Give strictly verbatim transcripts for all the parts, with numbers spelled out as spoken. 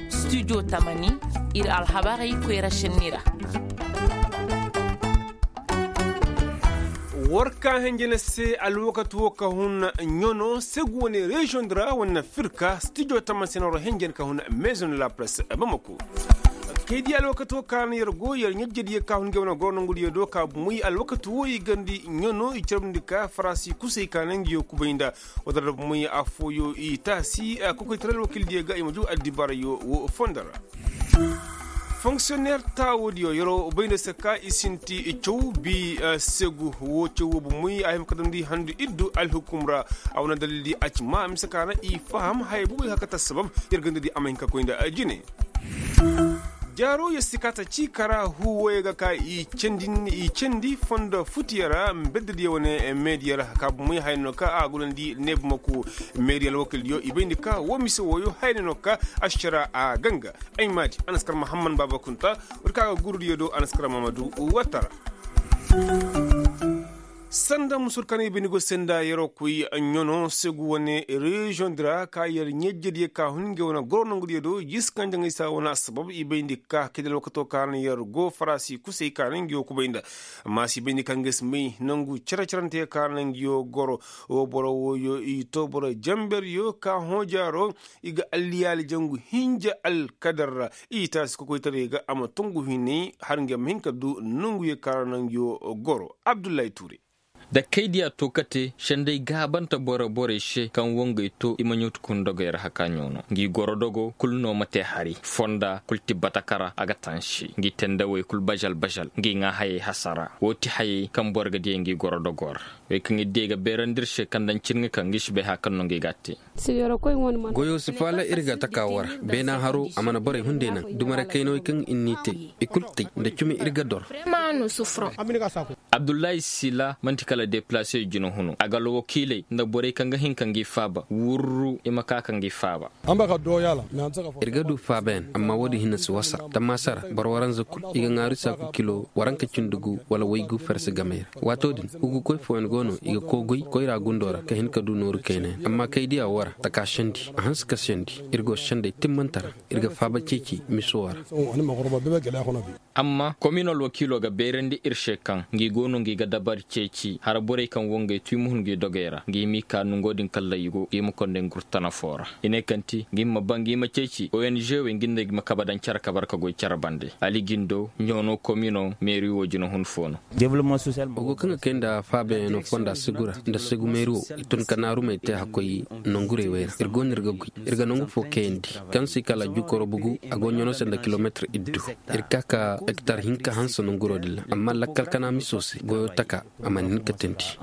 Studio tamani, ir alhabarey koyra šenni ra. War ka henjene se alwakati wo ka hun ɲono segu wane reziyoŋ di ra wane firka studio tamani se na war henjene ka hun maison de la presse bamako. Kay di alwakati wo ka na yer go yer ɲajjadiyo ka hun ga wane goro nongudiyo do ka bumey alwakati wo i gandi ɲono i carabndi ka farasi kusey ka na ngiyo kubay nda. Wata da bumey afooyo i taasi kokoytaray alwakildiyo ga i ma juu addibaarayo wo fondo ra. Fonksiyonner taawoodiyo yeroo bay nda se ka i sinti caw bi segu wo caw wo bumey a hima ka damndi handu iddu alhukum ra. A wane dalildi a ci maa mise ka na i faham haya bubey ka kate assabab yer gandadi a ma hin ka koy nda jine. Jaaro yer si ka ta cii kara huuwoyo ga ka i candi fondo futiyo ra mbeddediyo wane meediyo ra ka bumey haya no ka a gunandi neebu maku meediyo alwakildiyo i bayndi ka wo mise wooyo haya no ka ašara a ganga. Ay maadi anaskar mahamman baaba kunta. War ka ga gurudiyo do anaskar mamadu wattara. Sanda musur kaŋ i bayndi go senda yeroo koy ɲono segu wane reziyoŋ di ra ka yer ɲajjadiyo ka hun ngey wane goro nongudiyo do jiisi kaŋ jaŋay saa wane assabab i bayndi ka kay da alwakatoo ka na yer go farasi kusey ka na ngiyo kubay nda. Amma si bayndi ka ngey si may nangu cere-ceranteyo ka na ngiyo goro. Wo boro wooyo i to boro jamberiyo ka hõ jaaro i ga alliyaali jangu hinja alkadar ra. I taasi kokoytaray ga a ma tungu hinay har ngey ma hin ka du nonguyo ka ra nanguyo goro. Abdullahi ture. Da kaydiya to kate sendey gaabante boro borey se kaŋ wongey to i ma ɲawtu ka hun dogey ra haka ɲoono ngi goro dogo kul no ma te hari fonda kul ti batakara a ga tansi ngi tendawey kul bazal bazal ngi ŋaa hayey hasara wo ti hayey kaŋ boro ga diyey ngi goro dogo ra. Wey kaŋ ir di ay ga beerandi ir se kaŋ daŋ cin ga kaŋ ngi si bay haya kaŋ no ngi ga a te. Goyo si faala ir ga taka war beena haro a mana borey hunday naŋ dumare kayna wey kaŋ ir n'i te i kul qay nda cumi ir ga dor. Abdullahi sila man'ti kala deplase jina hunu a ga alwakiiley nda borey kaŋ ga hin ka ngi faaba wurru i ma ka ka ngi faaba. Ir ga du faabayaŋ amma wo-din hinne si wasa tammaasa ra boro waranza kul i ga ŋaaru saaku kilo waranka cindi gu wala waygu farse gamey ra. Waato din hugukoy fooyaŋ go no i ga koo goy koyra gundo ra ka hin ka du nooru kaynayaŋ amma kay diya wo ra taka sendi a hanse ka sendi. Ir go sendey timmante ra ir ga faaba ceeci miso wo ra. Amma komin alwakiilo ga beerandi ir se kaŋ ngi go no ngi ga dabar ceeci hara borey kaŋ wo ngey tu i ma hun ngi dogey ra ngi ma i ka nongo din kalla i go ngi ma konday ngurtana foo ra. I ne kaŋ ti ngi ma ba ngi ma ceeci ong wey ngi nda ngi ma kabe daŋ cere kabar ka goy cere bande ali jindo ɲoono komino meeri wo jinahun foo no. Wa go kaŋ ga kay nda faabayaŋo fonda segu ra nda segu meeri wo i tun ka naarumey te hakkoy nongurey wey ra ir go no ir ga goy ir ga nongu foo kayandi kaŋ se i kala jukoro bugu a go ɲano se nda kilometir iddu. Ir ka ka ektar hinka hanse nonguro din ra amma lakkal kana miso se goyo taka a mana hin ka teendi.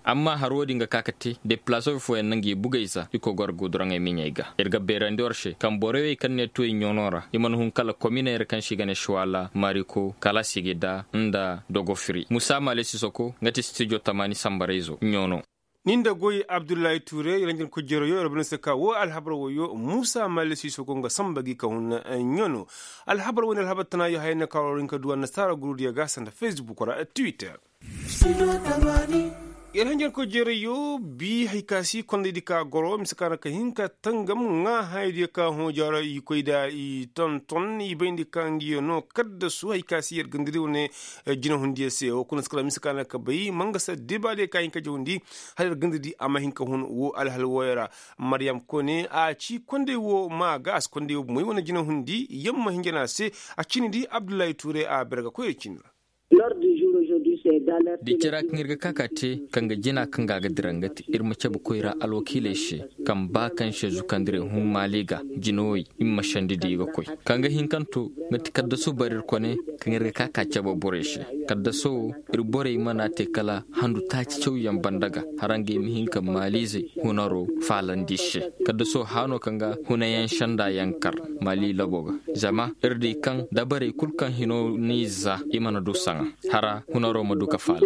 Amma har wo-din ga ka ka te deplasoy fooyaŋ na ngi bugey za i koy goro guduraŋey miɲey ga ir ga beerandi war se kaŋ borey wey kaŋ ne tuwey ɲoono ra i mana hun kala kominey ra kaŋ se i ga ne suwala mariko kala sigida nda dogofiri musa maale sisoko nga ti stijo tamaani sambarayzo ɲoono. Ni nda goy abdullahi tuure i ranjankoy jeerayo ir bana se ka wo alhabar woyo musa maale sisoko nga samba gi ka hun ɲoono. Alhabar woy nda alhabar tanaayo haya no ka war war hin ka du annasaara gurudiyo ga sanda fesbuk ra twitter. Ir hanjarkoy jeerayo bi hari ka si kondaydi ka goro mise ka ra ka hin ka tangam ŋaa hayadiyo ka hõ jaara i koy nda i tonton i bayndi ka ngiyo no kaddasu hari ka si yer gandadi wane jinahundiyo se wo kuna si kala mise ka ra ka bay mangasa debaadiyo ka hin ka jawandi hala yer gandadi a ma hin ka hun wo alhal woyo ra. Mariyam kone a ci konday wo ma ga a si konday wo bumoy wane jinahundi yamma hinjana se. A cini di abdullahi tuure a berga koyey cini ra. Di cira kaŋ ir ga ka ka te kaŋ ga jina kaŋ ga a ga dira nga te ir ma cabe koyra alwakiiley se kaŋ ba kaŋ se zukandirey hun maali ga jinawey i ma sandi di i ga koy kaŋ ga hin kaŋ to nga ti kaddaso bari ir kone kaŋ ir ga ka ka cabe borey se. Kaddaso wo ir borey mana te kala handu taaci cawyaŋ banda ga hara ngey ma hin ka maaliizey hunaro faalandi se. Kaddaso haano kaŋ ga hunayaŋ sanda yaŋ kar maali labo ga zama ir di kaŋ dabarey kul kaŋ hino n'i za i mana du saŋa hara hunaro ma du ka faala.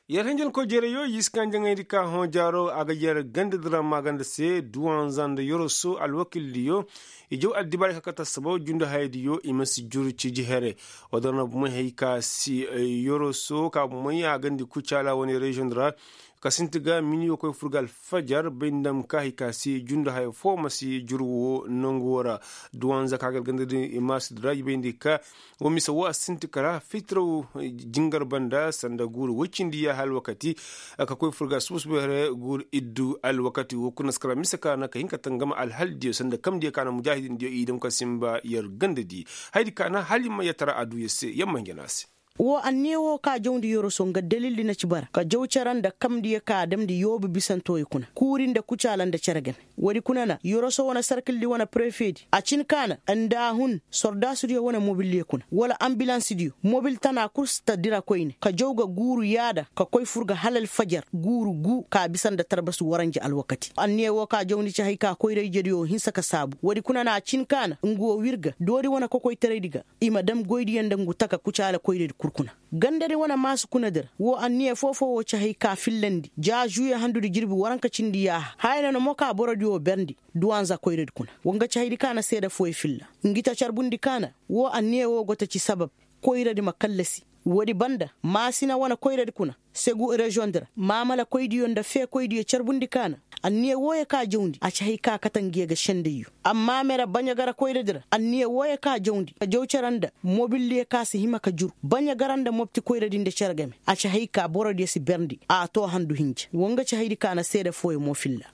Yer hinjin koy jereyo yiskan jaŋaydi ka hõ jaaro a ga yer ganda dira maaganda se duwanza nda yoroso alwakildiyo. I jaw addibaari ka kata sabab jundu hayadiyo i ma si juru ciji here. Wadar na bumay hay ka si yoroso ka bumay a gandi kucaala wane reziyoŋ dira ka sinti ga miniyo koy furga alfajar bay ndam ka hay ka si jundu haya fo ma si juru wo nangu wo ra. Duwanza ka ga ganda dira i ma si dira i bay ndi ka wo mise wo a sinti kara fitiraw jingar banda sanda guuru woy cindi yaaha alwakati ka koy furga suba suba here guuru iddu alwakati wo kuna si kara mise ka na ka hin ka tangama alhaldiyo sanda kamdiyo ka na mujaahidindiyo i dam ka simba yer ganda di. Haydi ka na hali ma yer tara a du yer se yer ma hinja no a se. Wo anniya wo ka jawndi yoroso nga dalildi na ci bara ka jaw cere nda kamdiyo ka a damndi yoobu bisanto i kuna kuuri nda kucaala nda cere game. Woodi kuna na yoroso wane sarkildi wane prefedi a cin ka na nda a hun sordaasudiyo wane mobildiyo kuna wala ambilansidiyo mobil tana kul si ta dira koyne ka jaw ga guuru yaada ka koy fur ga hala alfajar guuru gu ka bisa nda tarbasu waranja alwakati anniya wo ka jawndi ci hay ka koyra ijediyo hinsa ka saabu woodi kuna na a cin ka na nga wo wir ga doori wane kokoytaraydi ga i ma dam goydiyo nda ngu taka kucaala koyradi kul kuna. Gandadi wane maasu kuna dir wo anniya foo-foo wo ci hay ka fillandi ja žuye handudi jirbi waranka cindi yaaha haya na na mo ka borodi wo berndi. Duwanza koyradi kuna wa nga ci haydi ka na seeda fooyo filla. Ngi ta carbundi ka na wo anniya wo go ta ci sabab koyradi ma kallasi. Woodi banda maasina wane koyradi kuna segu reziyoŋ di ra maamala koydiyo nda feekoydiyo carbundi ka na. Anniya wooyo ka jawndi a ci hay ka kate ngiyo ga sendayyo. Amma mere baɲa gara koyradi ra anniya wooyo ka jawndi a jaw cere nda mobildiyo ka si hima ka jur baɲa gara nda mopti koyradi nda cere game a ci hay ka borodiyo si berndi a too handu hinja wa nga ci haydi ka na seede fooyo mo filla.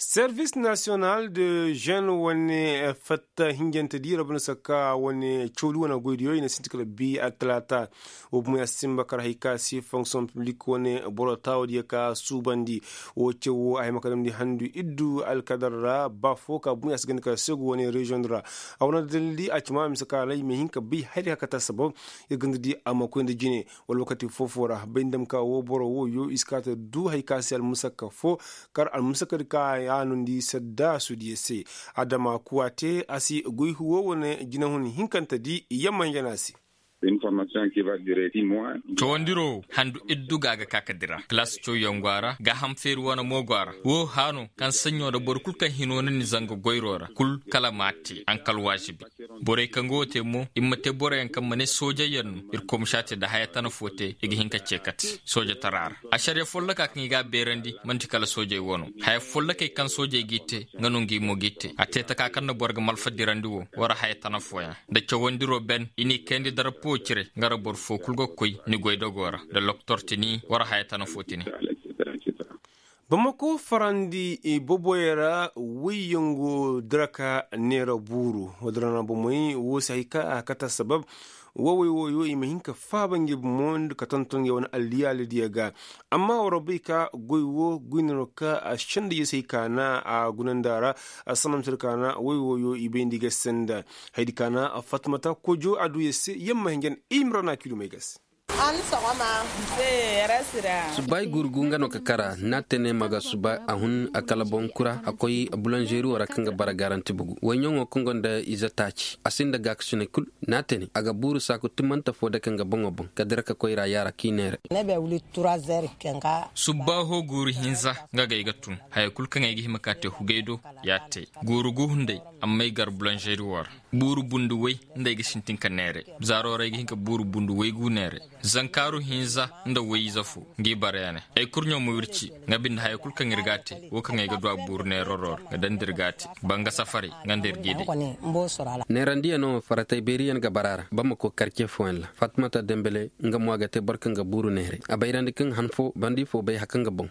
Servis nasiyonal de žen wane fatta hinjante di rabbi na sakka wane cawdi wane goydiyo i na sinti kala bi attalaata. Wo bumey a si simba kar hay ka si fonksiyoŋ piblik wane boro taawadiyo ka suubandi. Wo caw wo a hima ka damndi handu iddu alkadar ra ba fo ka bumey a si ganda kala segu wane reziyoŋ ra. A wane dalildi a ci ma mise ka ra i ma hin ka bay hari ka kate sabab ir ganda di a ma koy nda jine. Wala wakati foo-foo ra bay nda ma ka wo boro wooyo i si ka ta du hari ka se almusakka fo kar almusakka di ka a noondi sadda suudiya se. Adama kuwa te a si goy huwo wane jinahun hinkante di yamma hinja no a se. Cawandiro wo handu iddu ga a ga ka ka dira kilaasi cawyaŋ go a ra gaaham feeri wane mo go a ra wo haano kaŋ saɲɲo nda boro kul kaŋ hino na ni zanga goyro ra kul kala m'a te a nka alwaasibi. Borey kaŋ ga wo te mo i ma te boroyaŋ kaŋ ma ne soojayyaŋ no. Irkoy ma si a te nda haya tana fo te i ga hin ka ce kate soojatara ra. Ašariya folloka kaŋ i ga a beerandi man'ti kala soojey wo no. Haya follokey kaŋ soojey g'i te nga no ngi mo g'i te a te taka kaŋ na boro ga malfa dirandi wo. War haya tana fooyaŋ nda cawandiro ben i n'i kayandi darapo cire nga ra boro fo kul ga koy ni goydogo ra nda lokotor tini war haya tana fo tini. Bamako farandi boboyey ra woyyaŋ go dira ka neera buuru. Woodin ra na bomey wo si hay ka a kate assabab. Wowey wooyo i ma hin ka faaba ngi bomo ka tonton ngi wane alliyaalidiyo ga. Amma war bay ka goy wo goy no ka a senda yesey ka na a gunandi a ra. Assannamsir ka na woy wooyo i bay nda i ga senda. Haydi ka na fatmata kojo a du yese yamma hinjan imrana kilumey ga se. Suba i gurgu nga no ka kara n'a te ne ma ga suba a hun a kala boŋ kura a koy bulanzeeri wo ra kaŋ ga bara garanti bugu woyɲaŋo kaŋ gonda ize taaci a sinda gaakasinay kul. N'a te ne a ga buuru saaku timmante fo dake nga boŋo boŋ ka dira ka koyra yaara k'i neere. Subbaaho guuru hinza nga ga ay ga tun haya kul kaŋ ay ga hima ka te hugay do. Ya te guuru gu hunday amma ay gar bulanzeeri wo ra. Buuru bundu way nda ay ga sintin ka neere. Zaaro ra ay ga hin ka buuru bundu way gu neere. Zankaaru hinza nda way ize fo ngi bara ya ne. Ay kurɲo ma wirci nga binde haya kul kaŋ ir ga a te wo kaŋ ay ga du a buuru neeraro ra nga daŋ nda ir ga a te. Banga safaray nga nda ir g'i day. Neerandiyaŋo faratay beeriyaŋ ga bara a ra bamako karce fooyaŋ ra. Fatimata dembele nga mo a ga te boro kaŋ ga buuru neeray a bayrandi kaŋ han fo bandi fo bay haka nga boŋ.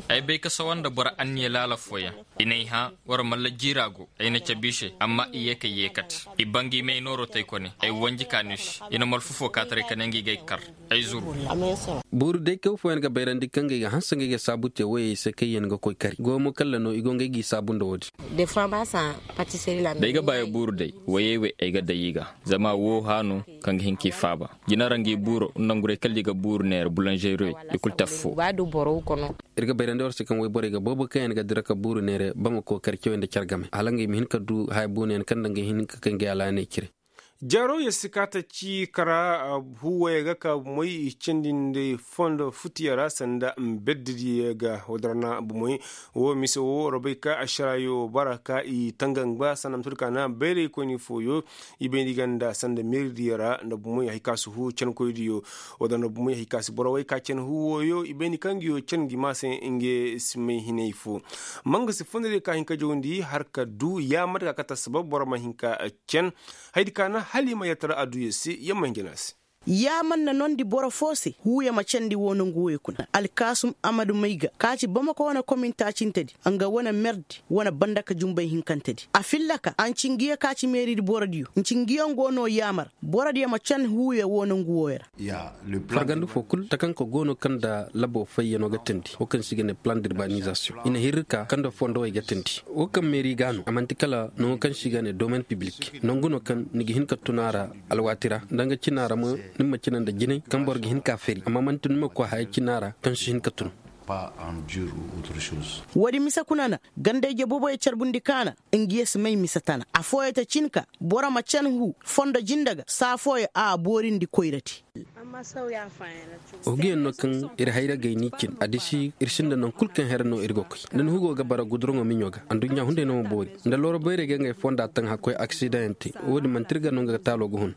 Ay bay ka sawa nda boro anniya laala fooyaŋ. I n'ay hã war malla jiira go ay na cabe i se amma i ye kay yeekate. I ba ngi may nooro tay kone ay wanji ka no i se. I na malfa fo kaataray ka ne ngi g'ay kar ay zuru. Buuru day kaw fooyaŋ ga bayrandi kaŋ ga ay ga hanse nga ay ga saabu te woyey se kaŋ yaŋ ga koy kari goyo mo kalla no i go nga ay g'i saabu nda woodin. Day ga baayo buuru day woyey wey ay ga day i ga. Zama woo hã no kaŋ ga hin k'i faaba. Jina ra ngi buuro nda nguray kala i ga buuru neera bulanzeeriyo i kul te affoo. Ir ga bayrandi war se kaŋ woyborey ga boobo kaŋ yaŋ ga dira ka buuru neera bamako kar cawey nda care game hala ngey ma hin ka du haya buunayaŋ kaŋ nda ngey hin ka kay ngey alaaney cire. Jaaro yer si kaa ta ci kara huuwoyey ga ka bumoy i candi nda fondo futiyo ra sanda mbeddidiyo ga. Woo din ra na bumoy woo mise woo ra bay ka ašaraayo bara ka i tanga ngba sanda ma tun ka na bayraykoyni fooyo i bay nda i ganda sanda meeridiyo ra nda bumoy hay ka si huu cankoydiyo. Woo din ra na bumoy hay ka si boro wey ka can huuwoyo i bay nda i kaŋ nguyo can ngi ma se nga si may hinay foo. Manga si fondodiyo ka hin ka jawndi har ka du yaamar ka kate assabab boro ma hin ka can haydi ka na hala i ma yatara adduya se yamma hinja no a se. Yaamar na noondi boro foo se huuya ma candi woo nongu wooyo kuna alkaasum amadu mayga ka ci bamako wane komin taacintedi nga wane merdi wane bandaka jumbay hinkantedi a fillaka a nci ngiyo ka ci meeridi borodiyo nci ngiyo ngo no yaamar borodiyo ma can huuya woo nongu wooyo ra. Fargandi foo kul takanka go no kaŋ nda labo fayyano ga teendi woo kaŋ se i ga ne plan d'urbanisation i na hirri ka kaŋ nda fondowey ga teendi woo kaŋ meeri ga no a man'ti kala nangu kaŋ se i ga ne domaine piblik nangu no kaŋ ni ga hin ka tun a ra alwaati ra nda nga cina ra mo ni ma cina nda jinay kaŋ boro ga hin ka feri amma man'ti ni ma koy haya cina ra kaŋ si hin ka tun. Woodi mise kuna na ganda-ije boboyo carbundi kaana nga ye si may mise tana affooyo ta cin ka boro ma can huu fondo jinda ga saa fooyo a boorindi koyrati. Hugiyaŋ no kaŋ ir hayra gay ni cin a disi ir sinda naŋ kul kaŋ here no ir ga koy nda ni hugo ga bara guduraŋo miɲo ga adduɲɲa hunday no ma boori nda looro bayrey ga ngey fonda taŋ hakkoy aksidaŋ yaŋ te. Woodin manti ir ga no nga taalo ga hun.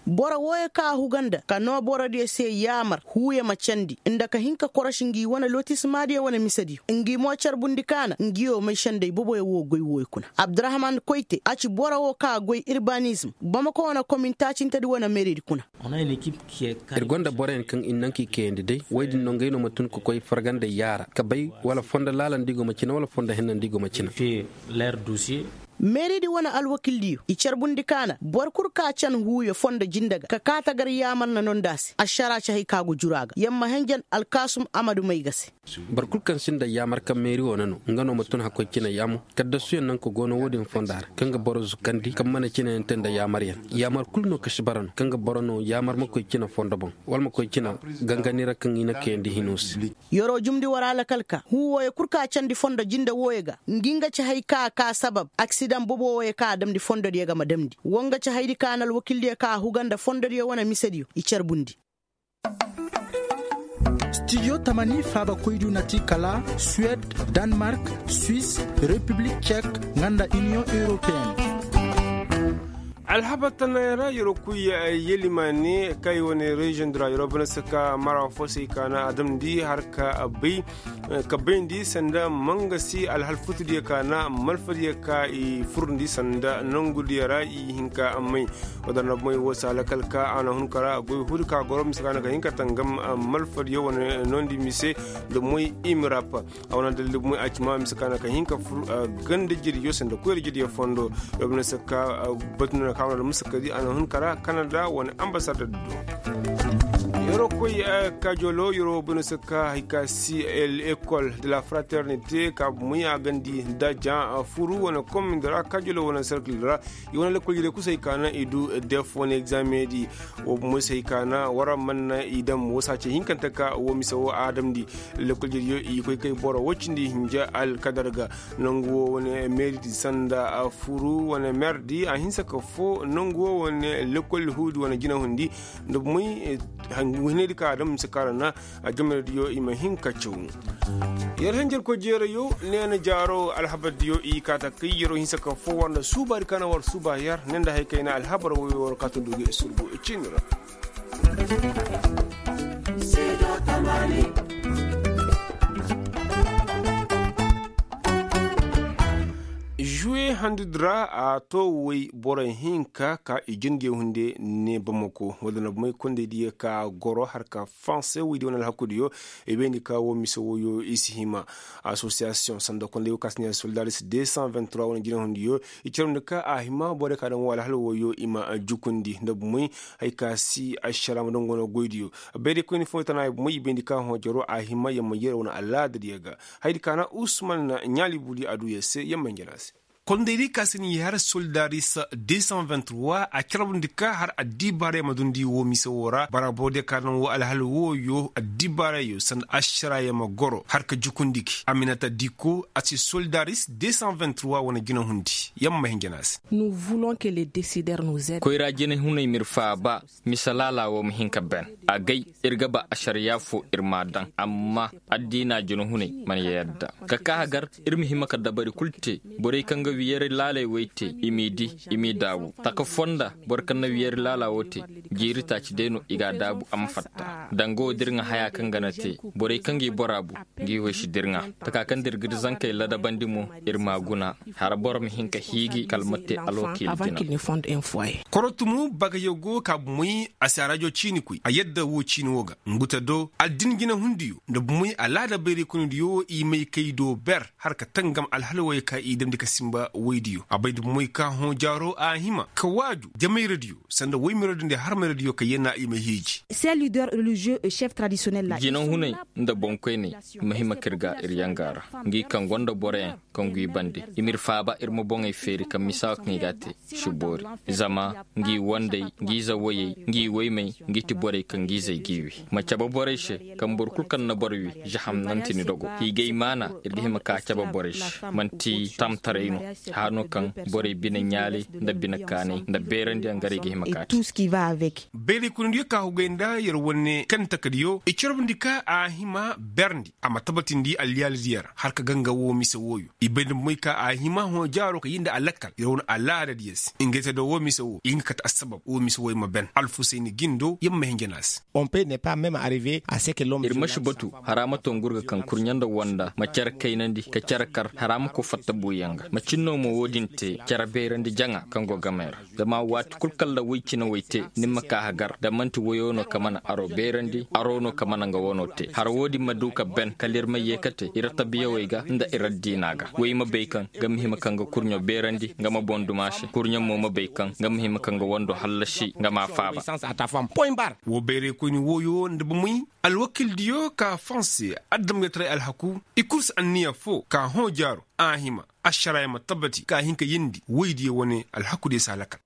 Boro wooyo ka a huga nda ka noo borodiyo se yaamar huuyo ma candi nda ka hin ka korosi ngi wane lotismaadiyo wane misediyo ngi mo carbundi kaana ngiyo may sendey boboyo woo goy wooyo kuna abdurahman koyte a ci boro woo ka a goy irbanizm bamako wane komin taacintedi wane meeridi kuna. Ir gonda boroyaŋ kaŋ ir naŋ ka i kayandi day woy din no ngey no ma tun ka koy fargandey yaara ka bay wala fondo laalandi go ma cina wala fondo hennandi go ma cina. Meeridi wane alwakildiyo i carbundi kaana boro kul ka can huuyo fondo jinda ga ka kaa tagar yaamar na noo nda a se ašaraa ci hay ka go juru a ga yamma henjen alkaasum amadu may ga se. Boro kul kaŋ sinda yaamar kaŋ meeri wo na no nga no ma tun hakkoy cina yaamo kaddasuyaŋ naŋ ka go no wo-din fonda ra kaŋ ga boro zukandi kaŋ mana cinayaŋ te nda yaamaryaŋ. Yaamar kul no ka si bara no kaŋ ga boro no yaamar ma koy cina fondo boŋ wala ma koy cina gangani ra kaŋ i na kayandi hino se. Yeroo jumndi war alakal ka huu wooyo kul ka a candi fondo jinde wooyo ga ngi nga ci hay ka a ka sabab aksidaŋ bobo wooyo ka a damndi fondodiyo ga ma damndi woo nga ci haydi ka a na alwakildiyo ka a huga nda fondodiyo wane misediyo i carbundi. Stijo tamani faabakoydiyo na ti kala suwed, danmark, swis, repiblik cek, nga nda iniyoŋ europeen. Alhabar tanay ra yeroo kuy yelimaane kay wane reziyoŋ dira yeroo bana saka mara fo se i kaana a damndi har ka bay ka bayndi sanda mangasi alhal futudiyo kaana malfadiyo ka i furndi sanda nongudiyo ra i hinka may. Wadar na moy wo saala kal ka a na hun kara goy hudu ka goro mise ka na ka hinka tangam malfadiyo wane nondi mise da moy imirap. A wane dalil moy a ci ma mise ka na ka hinka fur ganda jiriyo sanda koyra jiriyo fondo. Yo bine sakka batu na ka wane da mise ka di a na hun kara kanada wane ambasada do. Yero koy kajolo yero bine sakka hay ka si el école de la fraternité ka moy a gandi da jan furu wane komindara kajolo wane sarkil ra. I wane lakkol jire kusay ka na i du def wane examen di. Wo bumo se hay ka na wara man na i dam wo saace hinkante ka wo mise wo a damndi. Lakkol jire yo i koy kay boro wo cindi hinja alkadar ga. Nangu wo wane meeri di sanda furu wane mer di a hinsa ka fo nangu wo wane lakkol huudi wane jina hundi. Nda bumoy hinay di ka a dam mise ka ra na. A jamaradiyo i ma hin ka caw. Yer henjer ko jeerayo neena jaaro alhabardiyo i kaata kay yeroo hinsa ka fo war nda suubaadi ka na war suuba yer ne nda hay kayna alhabar woyo war kaata ndugu i surgu i ciini ra. Juwe handudi ra a to woy boro hinka ka i jin nge hunde ne bamako wala na bumay kondey diya ka goro har ka fanse woy di wane alhakudiyo. I bayndi ka wo mise woyo i si hima. Asosiyasiyoŋ sanda kondey wo ka si ne soldaris deux cent vingt trois wane jina hundiyo i carandi ka a hima borey ka daŋ wo alhal woyo i ma jukundi nda bumay. Hay ka si ašara ma daŋ gono goydiyo. Bayday koyni fo tana bumay i bayndi ka hõ jaro a hima yamma yere wane alaadadiyo ga. Haydi ka na usman ɲaali budi a du yer se yamma njana se. Kondaydi ka si ni har soldaris. Desan vingt-trois a carbundi ka har addibaarey ma dundi woo mise woo ra bara borodiyo ka naŋ woo alhal wooyo addibaarey yoo sanda ašaraayaŋ ma goro har ka jukundi gi aminata diko a si soldaris desan vingt-trois wane jinahundi. Yamma hin jana se. Koyra jinahuney m'ir faaba. Mise laala woo ma hin ka ben. Agay ir ga ba ašariyaa foo ir m'a daŋ amma addiina jinahuney mana yadda. Ka kaa hagar ir ma hima ka dabari kul te. Borey kaŋ ga wiyari laaley wey te i m'i dii, i m'i daabu taka fonda. Boro kaŋ na wiyari laala woo te jiiri taaci day no i g'a daabu a ma fatta. Danga woo da ir ŋa hayaa kaŋ ga na te borey kaŋ ga i boraa bu. Ngi wey si da ir ŋa taka kaŋ da ir ga ir zankey ladabandi mo. Ir m'a guna. Hara boro ma hin ka hiiji kala ma te alwakiila jina. Korotumu bagayoo go ka bumey a si a rajo ciini koy a yadda woo ciini woo ga. Ngu te do addin jinahundiyo nda bumey alaada bayraykundiyo i may kay do ber har ka tangam alhalwey ka i damndi ka sinba woydiyo a bay nda bumey ka hõ jaaro a hima ka waaju jamayradiyo sanda woymayradiyo nda harmayradiyo ka yena i ma hiiji. Jinahuney nda boŋkoyney ma hima ka ir ga ir yanga ra. Ngi kaŋ gonda boroyaŋ kaŋ gwi bande i m'ir faaba ir ma boŋey feeri kaŋ misa kaŋ i g'a te. Si boori zama ngi wandey ngi zawayey ngi waymey ngi ti borey kaŋ ngi zey g'i wi. Ma cabe borey se kaŋ boro kul kaŋ na boro wi zaham nanti ni dogo. Hiigay maana ir ga hima ka cabe borey se man'ti tamtaray no. Hano kaŋ borey bine ɲaalay nda bine kaanay nda beerandiyaŋ garay ga hima ka te. Bayray kunandiyo ka hugay nda yer wane kaŋ takadiyo i carbundi ka a hima berndi a ma tabatindi alyaalidiyo ra har ka ganga woo mise wooyo. I bay nda moy ka a hima hõ jaaro ka yee nda a lakkal yer wane alaadadiyo se ngey te do woo mise woo i hin ka kate assabab woo mise wooyo ma ben alfusayni gindo yer ma hin jana se. Ir ma si batu hara ma to ngurga kaŋ kurɲe nda wanda ma cere kaynandi ka cere kar hara ma koy fatta buuyaŋ ga macin no ma woo din te cere beerandi jaŋa kaŋ go gamey ra. Zama waati kul kalla woy cine woy te ni ma ka hagar da man'ti woyo no ka mana aro beerandi aro no ka mana nga wano te har woo din ma du ka ben kala ir ma yee ka te ir tabiyawey ga nda ir addiina ga woy ma bay kaŋ nga ma hima kaŋ ga kurɲo beerandi nga ma boŋ duma se kurɲo mo ma bay kaŋ nga ma hima kaŋ ga wando hallasi nga m'a faaba. Woo bayraykoyni wooyo nda bumey alwakildiyo ka fonse adamgaytaray alhaku i kul si anniya foo ka hõ jaaro a hima ašaraya ma tabbati ka hin ka yeendi woydiyo wane alhakudiyo si a lakal.